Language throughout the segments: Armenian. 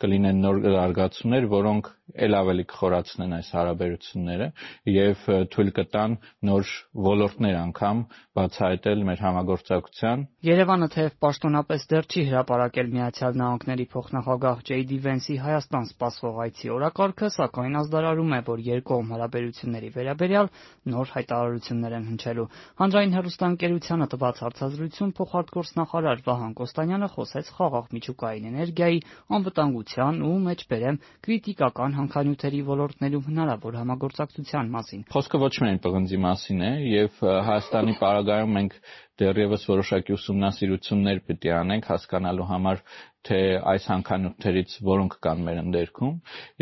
կլինեն նոր զարգացումներ, որոնք ել ավելի կխորացնեն այս հարաբերությունները եւ թույլ կտան նոր ոլորտներ անգամ բացահայտել մեր համագործակցության։ Երևանը թեև պաշտոնապես դեռ չի հրապարակել Միացյալ Նահանգների փոխնախագահ J.D. Vance-ի Հայաստան սպասվող այցի օրակարգը, սակայն ազդարարում է, որ երկկողմ հարաբերությունների վերաբերյալ նոր հայտարարություններ են հնչելու։ Հանրային հեռուստաընկերությանը տված հարցազրույցում փոխարտգործնախարար Վահան Կոստանյանը խոսեց խաղաղ միջուկային էներգիայի, անվտանգության ու մեջբերեմ կրիտիկական հանքանյութերի ոլորտներում հնարավոր համագործակցության մասին։ Խոսքը ոչ միայն պղնձի մասին է, եւ Հայաստանի պարագայում մենք դեռևս որոշակի ուսումնասիրություններ պիտի անենք հասկանալու համար, թե այս հանքանյութերից որոնք կան մեր ընդերքում,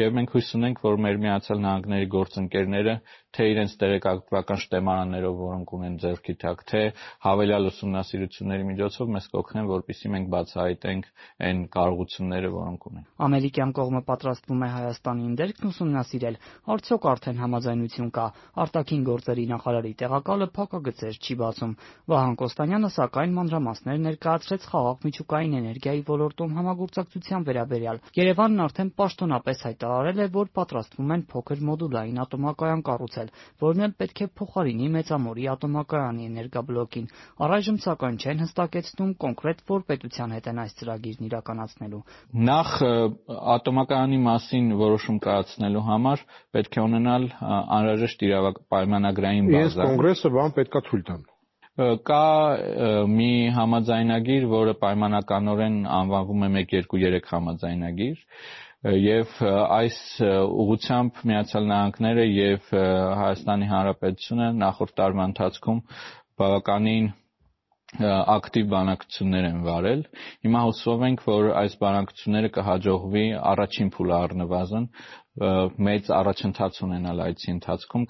եւ մենք հույս ունենք, որ մեր Միացյալ Նահանգների գործընկերները թե իրենց տեղեկատվական շտեմարաններով, որոնք ունեն ձեռքի տակ, թե հավելյալ ուսումնասիրությունների միջոցով մեզ կօգնեն, որպեսզի մենք բացահայտենք այն կարողությունները, որոնք ունենք։ Ամերիկյան կողմը պատրաստվում է Հայաստանի ընդերքն ուսումնասիրել, արդյոք արդեն համաձայնություն կա։ Արտաքին գործերի նախարարի տեղակալը փակագծեր չի բացում։ Վահան Կոստանյանը սակայն մանրամասներ ներկայացրեց խաղաղ միջուկային էներգիայի ոլորտում համագործակցության վերաբերյալ։ Երևանն արդեն պաշտոնապես հայտարարել է, որ պատրաստվում են փոքր մոդուլային ատոմակայան կառուցել, որն էլ պետք է փոխարինի Մեծամորի ատոմակայանի էներգաբլոկին։ Առայժմ սակայն չեն հստակեցնում կոնկրետ որ պետության հետ են այս ծրագիրն իրականացնելու։ Նախ ատոմակայանի մասին որոշում կայացնելու համար պետք է ունենալ անհրաժեշտ պայմանագրային բազա։ Ես կոնգրեսը բան պետքա թույլ տան։ Կա մի համաձայնագիր, որը պայմանականորեն անվանվում է 1-2-3 համաձայնագիր, եւ այս ուղղությամբ Միացյալ Նահանգները եւ Հայաստանի Հանրապետությունը նախորդ տարվա ընթացքում բավականին ակտիվ բանակցություններ են վարել։ Հիմա հուսով ենք, որ այս բանակցությունները կհաջողվի առաջին փուլը առնվազն մեծ առաջընթաց ունենալ այցի ընթացքում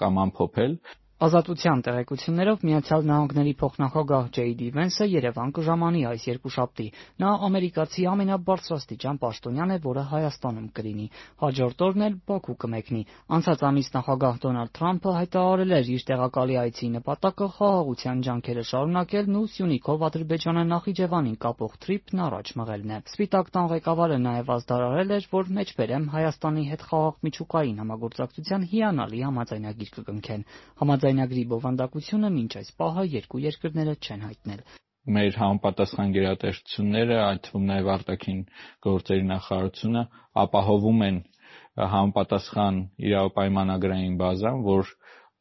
կամ ամփոփել։ Ազատության տեղեկություններով Միացյալ Նահանգների փոխնախագահ J.D. Vance-ը Երևան կժամանի այս երկուշաբթի։ Նա ամերիկացի ամենաբարձրաստիճան պաշտոնյան է, որը Հայաստանում կլինի։ Հաջորդ օրն էլ Բաքու կմեկնի։ Անցած ամիս նախագահ Դոնալդ Թրամփը հայտարարել էր իր տեղակալի այցի նպատակը խաղաղության ջանքերը շարունակելն ու Սյունիքով Ադրբեջանը Նախիջևանին կապող թրիփն առաջ մղելն է։ Սպիտակ տան ղեկավարը նաև ազդարարել էր, որ մեջբերեմ Հայաստանի հետ խաղաղ միջուկային համագործակցության հիանալի համաձայնագիր կկնքեն։ Համաձայնագրի բովանդակությունը մինչ այս պահը երկու երկրները չեն հայտնել։ Մեր համապատասխան գերատեսչությունները, այդ թվում նաև արտաքին գործերի նախարարությունը ապահովում են համապատասխան իրավապայմանագրային բազան, որ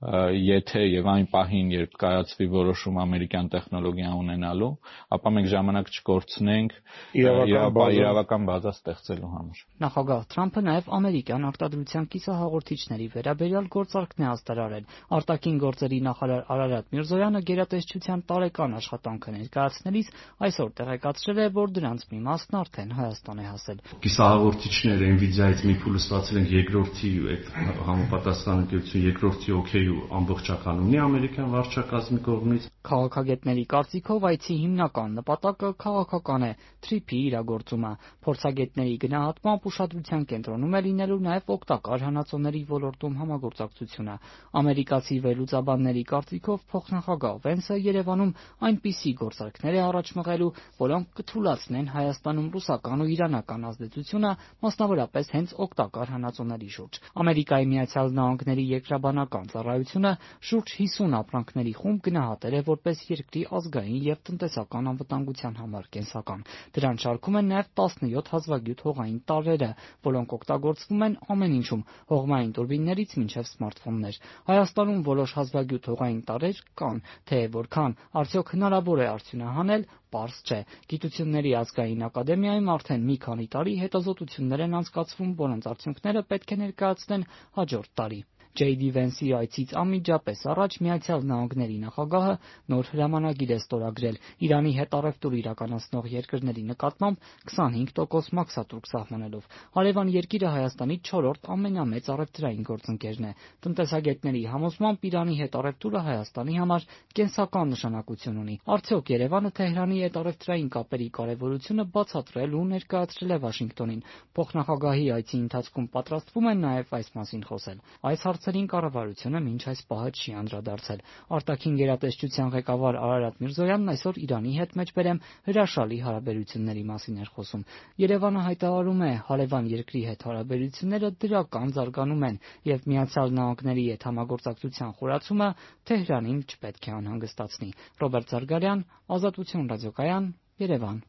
եթե եւ այն պահին, երբ կայացվի որոշում ամերիկյան տեխնոլոգիա ունենալու, ապա մենք ժամանակ չկորցնենք իրավական բազա ստեղծելու համար։ Նախագահ Թրամփը նաև ամերիկյան արտադրության կիսահաղորդիչների վերաբերյալ գործարքն է ազդարարել։ Արտաքին գործերի նախարար Արարատ Միրզոյանը գերատեսչության տարեկան աշխատանքը ներկայացնելիս այսօր տեղեկացրել է, որ դրանց մի մասն արդեն Հայաստան է հասել։ Կիսահաղորդիչները Nvidia-ից մի փուլ ստացել են երկրորդի այդ համապատասխան ընկերություն երկրորդի օքեյ ամբողջական ունի ամերիկյան վարչակազմի կողմից։ Քաղաքագետների կարծիքով այցի հիմնական նպատակը քաղաքական է՝ թրիփի իրագործումը։ Փորձագետների գնահատմամբ ուշադրության կենտրոնում է լինելու նաև օգտակար հանածոների ոլորտում համագործակցությունը։ Ամերիկացի վերլուծաբանների կարծիքով փոխնախագահ Վենսը Երևանում այնպիսի գործարքներ է առաջ մղելու, որոնք կթուլացնեն Հայաստանում ռուսական ու իրանական ազդեցությունը, մասնավորապես հենց օգտակար հանածոների շուրջ։ Ամերիկայի Միացյալ Նահանգների երկրաբանական ծառայությունը շուրջ 50 ապրանքների խումբ գնահատել է որպես երկրի ազգային եւ տնտեսական անվտանգության համար կենսական։ Դրան շարքում են նաեւ 17 հազվագյուտ հողային տարրերը, որոնք օգտագործվում են ամեն ինչում՝ հողմային տուրբիններից մինչև սմարթֆոններ։ Հայաստանում որոշ հազվագյուտ հողային տարրեր կան, թե որքան արդյոք հնարավոր է արդյունահանել, պարզ չէ։ Գիտությունների ազգային ակադեմիայում արդեն մի քանի տարի հետազոտություններ են անցկացվում, որոնց արդյունքները պետք է ներկայացնեն հաջորդ տարի։ J.D. Vance-ի այցից անմիջապես առաջ Միացյալ Նահանգների նախագահը նոր հրամանագիր է ստորագրել Իրանի հետ առևտուր իրականացնող երկրների նկատմամբ 25% մաքսատուրք սահմանելով։ Հարևան երկիրը Հայաստանի 4-րդ ամենամեծ առևտրային գործընկերն է։ Տնտեսագետների համոզմամբ Իրանի հետ առևտուրը Հայաստանի համար կենսական նշանակություն ունի։ Արդյոք Երևանը Թեհրանի հետ առևտրային կապերի կարևորությունը բացատրել ու ներկայացրել է Վաշինգտոնին։ Փոխնախագահի այցի ընթացքում պատրաստվում են նաև այս մասին խոսել։ Այս հարցը հարցերին կառավարությունը մինչ այս պահը չի անդրադարձել։ Արտաքին գերատեսչության ղեկավար Արարատ Միրզոյանն այսօր Իրանի հետ մեջբերեմ հրաշալի հարաբերությունների մասին էր խոսում։ Երևանը հայտարարում է, հարևան երկրի հետ հարաբերությունները դրական զարգանում են եւ Միացյալ Նահանգների հետ համագործակցության խորացումը Թեհրանին չպետք է անհանգստացնի։ Ռոբերտ Զարգարյան, Ազատություն ռադիոկայան, Երևան։